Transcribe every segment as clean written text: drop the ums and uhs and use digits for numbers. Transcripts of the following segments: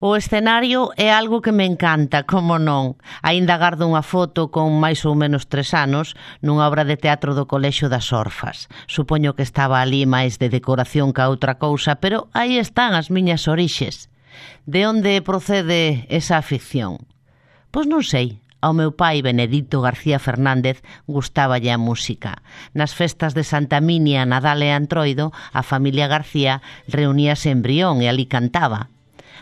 O escenario é algo que me encanta, como non. Aínda gardo unha foto con máis ou menos 3 anos nunha obra de teatro do Colexio das Orfas. Supoño que estaba ali máis de decoración que a outra cousa, pero aí están as miñas orixes. De onde procede esa afición? Pois non sei. Ao meu pai, Benedito García Fernández, gustáballe a música. Nas festas de Santa Minia, Nadal e Antroido, a familia García reuníase en Brión e ali cantaba.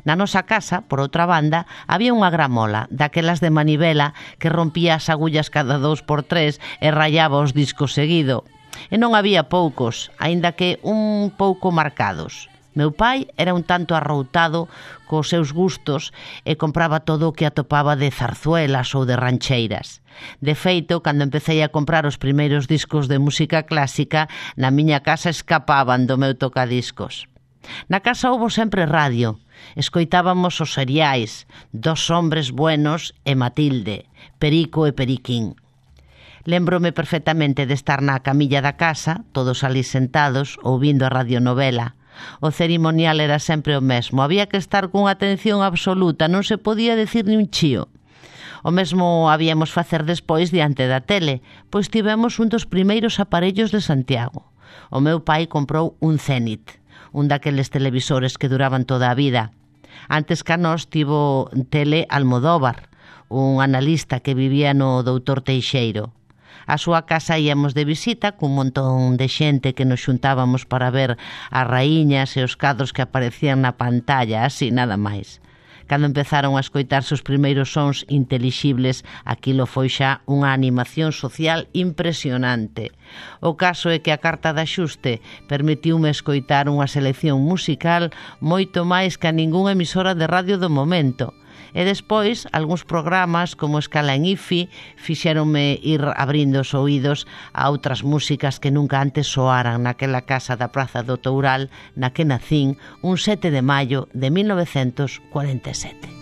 Na nosa casa, por outra banda, había unha gramola, daquelas de manivela que rompía as agullas cada 2x3 e rayaba os discos seguido. E non había poucos, aínda que un pouco marcados. Meu pai era un tanto arroutado cos seus gustos e compraba todo o que atopaba de zarzuelas ou de rancheiras. De feito, cando empecé a comprar os primeiros discos de música clásica, na miña casa escapaban do meu tocadiscos. Na casa houbo sempre radio. Escoitábamos os seriais Dos hombres buenos e Matilde, Perico e Periquín. Lémbrome perfectamente de estar na camilla da casa, todos ali sentados, ouvindo a radionovela. O cerimonial era sempre o mesmo. Había que estar cunha atención absoluta, non se podía decir ni un chío. O mesmo habíamos facer despois diante da tele, pois tivemos un dos primeiros aparellos de Santiago. O meu pai comprou un Zenit, un daqueles televisores que duraban toda a vida. Antes que a nós tivo tele Almodóvar, un analista que vivía no Doutor Teixeiro. A súa casa íamos de visita cun montón de xente que nos xuntábamos para ver as raíñas e os cadros que aparecían na pantalla, así nada máis. Cando empezaron a escoitarse os primeiros sons intelixibles, aquilo foi xa unha animación social impresionante. O caso é que a carta de axuste permitiume escoitar unha selección musical moito máis que a ningunha emisora de radio do momento. E despois, algúns programas como Escala en IFI fixéronme ir abrindo os oídos a outras músicas que nunca antes soaran naquela casa da Praza do Toural na que nacín un 7 de maio de 1947.